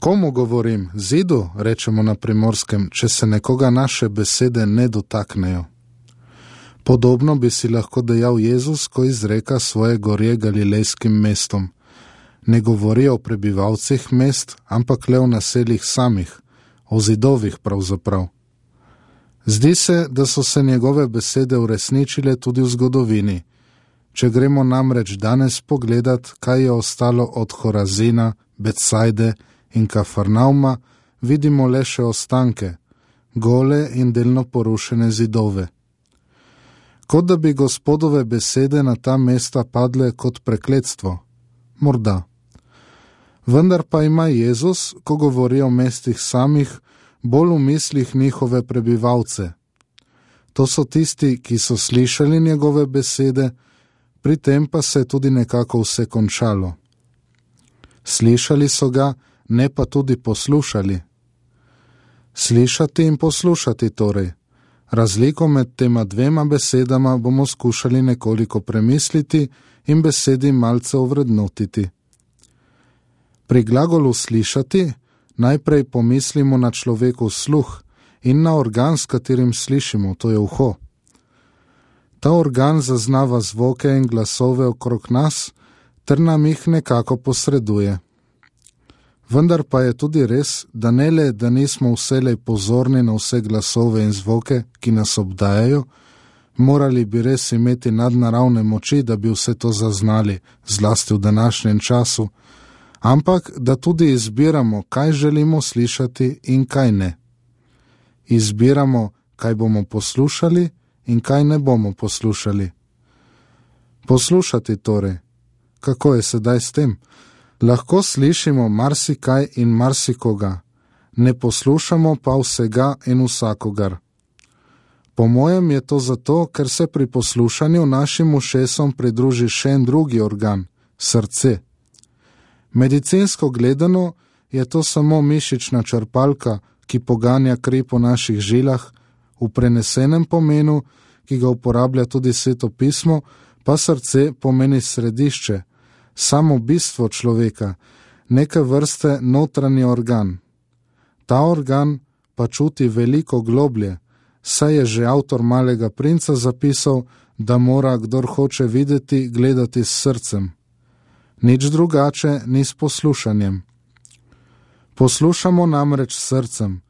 Komu govorim? Zidu, rečemo na Primorskem, če se nekoga naše besede ne dotaknejo. Podobno bi si lahko dejal Jezus, ko izreka svoje gorje galilejskim mestom. Ne govori o prebivalcih mest, ampak le o naseljih samih, o zidovih pravzaprav. Zdi se, da so se njegove besede uresničile tudi v zgodovini. Če gremo namreč danes pogledat, kaj je ostalo od Horazina, Betsajde in Kafarnauma, vidimo le še ostanke, gole in delno porušene zidove. Kot da bi Gospodove besede na ta mesta padle kot prekletstvo. Morda. Vendar pa ima Jezus, ko govori o mestih samih, bolj v mislih njihove prebivalce. To so tisti, ki so slišali njegove besede, pri tem pa se je tudi nekako vse končalo. Slišali so ga, ne pa tudi poslušali. Slišati in poslušati torej. Razliko med tema dvema besedama bomo skušali nekoliko premisliti in besedi malce ovrednotiti. Pri glagolu slišati najprej pomislimo na človekov sluh in na organ, s katerim slišimo, to je uho. Ta organ zaznava zvoke in glasove okrog nas, ter nam jih nekako posreduje. Vendar pa je tudi res, da ne le, da nismo vselej pozorni na vse glasove in zvoke, ki nas obdajajo, morali bi res imeti nadnaravne moči, da bi vse to zaznali, zlasti v današnjem času, ampak da tudi izbiramo, kaj želimo slišati in kaj ne. Izbiramo, kaj bomo poslušali in kaj ne bomo poslušali. Poslušati torej. Kako je sedaj s tem? Lahko slišimo marsikaj in marsikoga, ne poslušamo pa vsega in vsakogar. Po mojem je to zato, ker se pri poslušanju našim ušesom pridruži še en drugi organ, srce. Medicinsko gledano je to samo mišična črpalka, ki poganja kri po naših žilah, v prenesenem pomenu, ki ga uporablja tudi Sveto pismo, pa srce pomeni središče, samo bistvo človeka, neke vrste notranji organ. Ta organ pa čuti veliko globlje, saj je že avtor Malega princa zapisal, da mora, kdor hoče videti, gledati s srcem. Nič drugače ni s poslušanjem. Poslušamo namreč s srcem,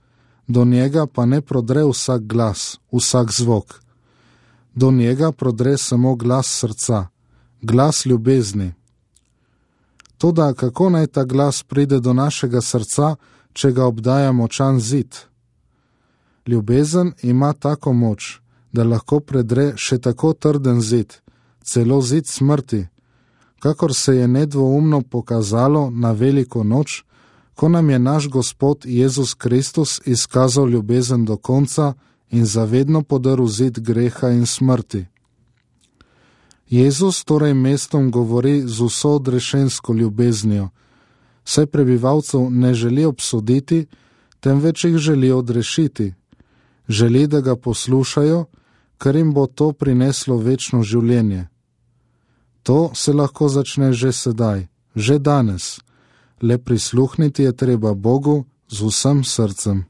do njega pa ne prodre vsak glas, vsak zvok. Do njega prodre samo glas srca, glas ljubezni. Toda kako naj ta glas pride do našega srca, če ga obdaja močan zid? Ljubezen ima tako moč, da lahko predre še tako trden zid, celo zid smrti, kakor se je nedvoumno pokazalo na veliko noč, ko nam je naš Gospod Jezus Kristus izkazal ljubezen do konca in zavedno podrl zid greha in smrti. Jezus torej mestom govori z vso odrešensko ljubeznijo, saj prebivalcev ne želi obsoditi, temveč jih želi odrešiti. Želi, da ga poslušajo, ker jim bo to prineslo večno življenje. To se lahko začne že sedaj, že danes. Le prisluhniti je treba Bogu z vsem srcem.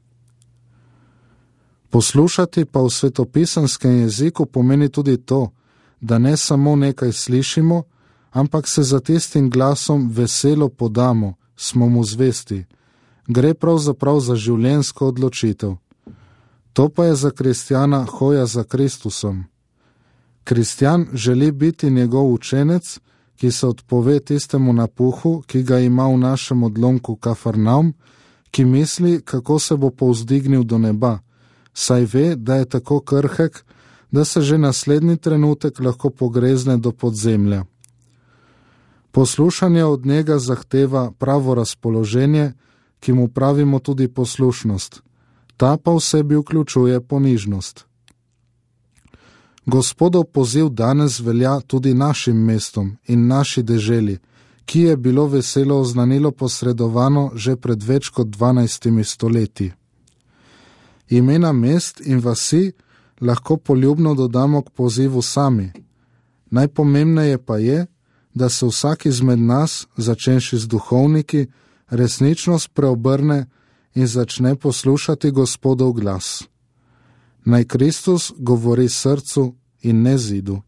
Poslušati pa v svetopisanskem jeziku pomeni tudi to, da ne samo nekaj slišimo, ampak se za tistim glasom veselo podamo, smo mu zvesti. Gre pravzaprav za življenjsko odločitev. To pa je za kristjana hoja za Kristusom. Kristjan želi biti njegov učenec, ki se odpove tistemu napuhu, ki ga ima v našem odlomku Kafarnaum, ki misli, kako se bo povzdignil do neba, saj ve, da je tako krhek, da se že naslednji trenutek lahko pogrezne do podzemlja. Poslušanje od njega zahteva pravo razpoloženje, ki mu pravimo tudi poslušnost. Ta pa v sebi vključuje ponižnost. Gospodov poziv danes velja tudi našim mestom in naši deželi, ki je bilo veselo oznanilo posredovano že pred več kot 12 stoletji. Imena mest in vasi lahko poljubno dodamo k pozivu sami. Najpomembneje pa je, da se vsak izmed nas, začenši z duhovniki, resničnost preobrne in začne poslušati Gospodov glas. Naj Kristus govori srcu in ne zidu.